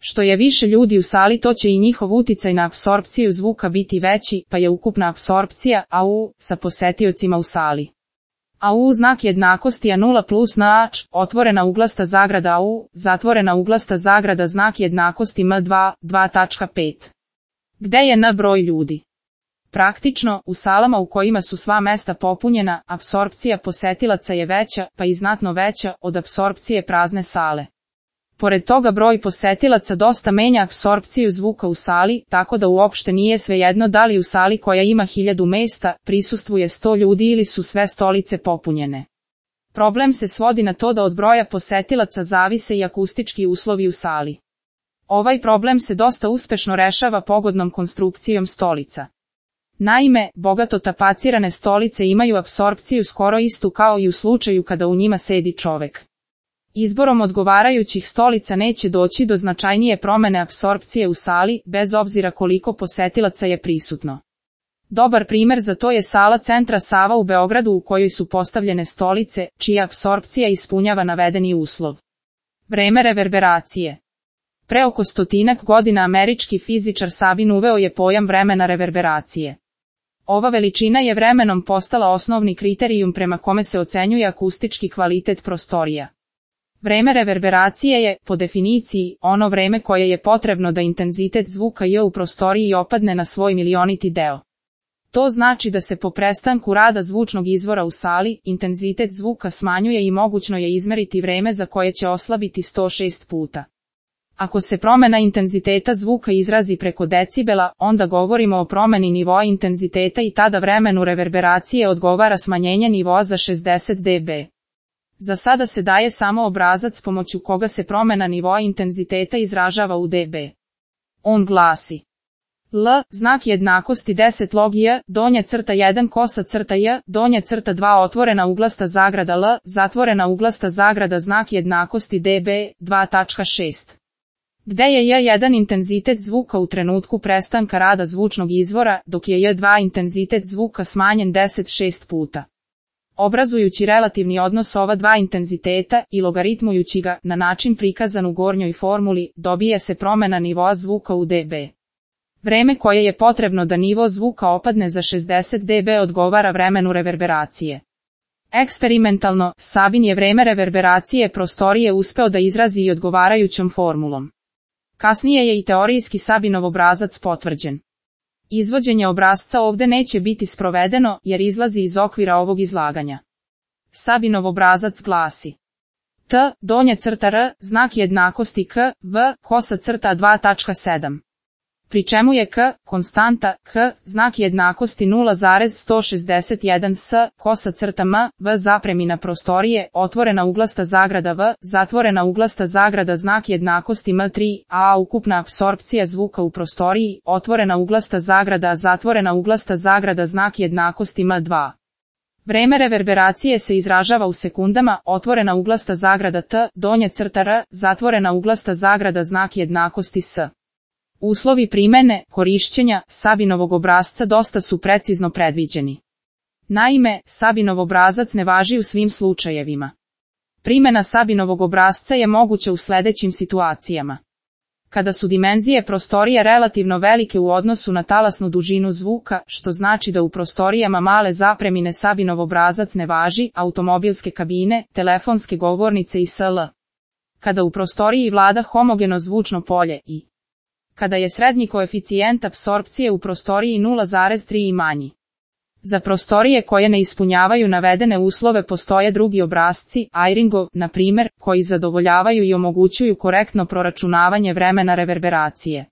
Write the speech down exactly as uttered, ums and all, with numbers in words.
Što je više ljudi u sali, to će i njihov uticaj na apsorpciju zvuka biti veći, pa je ukupna apsorpcija A U sa posetiocima u sali. A U znak jednakosti A nula plus N H, otvorena uglasta zagrada A U, zatvorena uglasta zagrada znak jednakosti M dva, dva tačka pet. Gde je N broj ljudi? Praktično, u salama u kojima su sva mesta popunjena, apsorpcija posetilaca je veća, pa i znatno veća, od apsorpcije prazne sale. Pored toga broj posetilaca dosta menja apsorpciju zvuka u sali, tako da uopšte nije svejedno da li u sali koja ima hiljadu mesta prisustvuje sto ljudi ili su sve stolice popunjene. Problem se svodi na to da od broja posetilaca zavise i akustički uslovi u sali. Ovaj problem se dosta uspešno rešava pogodnom konstrukcijom stolica. Naime, bogato tapacirane stolice imaju apsorpciju skoro istu kao i u slučaju kada u njima sedi čovek. Izborom odgovarajućih stolica neće doći do značajnije promene apsorpcije u sali, bez obzira koliko posetilaca je prisutno. Dobar primer za to je sala Centra Sava u Beogradu u kojoj su postavljene stolice, čija apsorpcija ispunjava navedeni uslov. Vreme reverberacije. Pre oko stotinak godina američki fizičar Sabin uveo je pojam vremena reverberacije. Ova veličina je vremenom postala osnovni kriterijum prema kome se ocenjuje akustički kvalitet prostorija. Vreme reverberacije je, po definiciji, ono vreme koje je potrebno da intenzitet zvuka J u prostoriji opadne na svoj milioniti deo. To znači da se po prestanku rada zvučnog izvora u sali, intenzitet zvuka smanjuje i mogućno je izmeriti vreme za koje će oslabiti sto šest puta. Ako se promena intenziteta zvuka izrazi preko decibela, onda govorimo o promeni nivoa intenziteta i tada vremenu reverberacije odgovara smanjenje nivoa za šezdeset decibela. Za sada se daje samo obrazac pomoću koga se promena nivoa intenziteta izražava u decibelima. On glasi: L, znak jednakosti deset log J, donja crta jedan kosa crta J, donja crta dva otvorena uglasta zagrada L, zatvorena uglasta zagrada znak jednakosti decibela, dva tačka šest. Gde je J jedan intenzitet zvuka u trenutku prestanka rada zvučnog izvora, dok je J dva intenzitet zvuka smanjen deset šest puta. Obrazujući relativni odnos ova dva intenziteta i logaritmujući ga na način prikazan u gornjoj formuli, dobije se promena nivoa zvuka u decibelima. Vreme koje je potrebno da nivo zvuka opadne za šezdeset decibela odgovara vremenu reverberacije. Eksperimentalno, Sabin je vreme reverberacije prostorije uspeo da izrazi i odgovarajućom formulom. Kasnije je i teorijski Sabinov obrazac potvrđen. Izvođenje obrazca ovde neće biti sprovedeno jer izlazi iz okvira ovog izlaganja. Sabinov obrazac glasi: T, donja crta R, znak jednakosti K, V, kosa crta dva tačka sedam. Pri čemu je K, konstanta, H, znak jednakosti nula zarez sto šezdeset jedan S, kosa crta M, V zapremina prostorije, otvorena uglasta zagrada V, zatvorena uglasta zagrada znak jednakosti M tri, A ukupna apsorpcija zvuka u prostoriji, otvorena uglasta zagrada zatvorena uglasta zagrada znak jednakosti M dva. Vreme reverberacije se izražava u sekundama, otvorena uglasta zagrada T, donja crta R, zatvorena uglasta zagrada znak jednakosti S. Uslovi primene, korišćenja, Sabinovog obrasca dosta su precizno predviđeni. Naime, Sabinov obrazac ne važi u svim slučajevima. Primena Sabinovog obrasca je moguća u sledećim situacijama. Kada su dimenzije prostorija relativno velike u odnosu na talasnu dužinu zvuka, što znači da u prostorijama male zapremine Sabinov obrazac ne važi, automobilske kabine, telefonske govornice i sl. Kada u prostoriji vlada homogeno zvučno polje i kada je srednji koeficijent apsorpcije u prostoriji nula zarez tri i manji. Za prostorije koje ne ispunjavaju navedene uslove postoje drugi obrasci, Eyringov, na primer, koji zadovoljavaju i omogućuju korektno proračunavanje vremena reverberacije.